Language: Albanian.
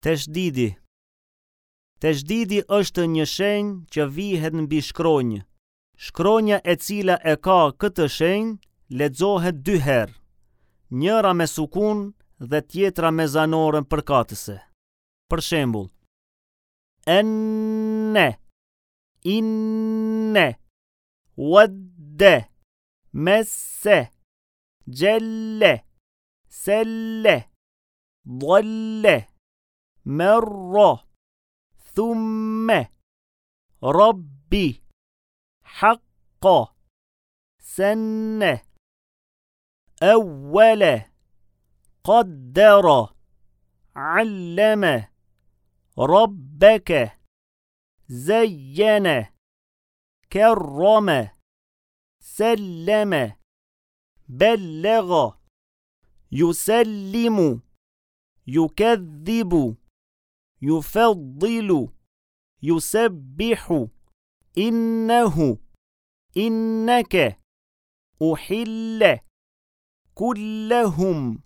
Teshdidi Teshdidi është një shenjë që vihet mbi shkronjë. Shkronja e cila e ka këtë shenjë lexohet dy herë, njëra me sukun dhe tjetra me zanoren përkatëse. Për shembull, enne, inne, wadde, messe, xhelle, selle, dhalle, merra, thumme, rabbi, hakka, senne, evvele, kaddera, alleme, rabbeke, zeyyene, kerrame, selleme, bellega, yusellimu, yukedhibu, yufeddilu, yusebbihu, innehu, inneke, uhille, kullehum.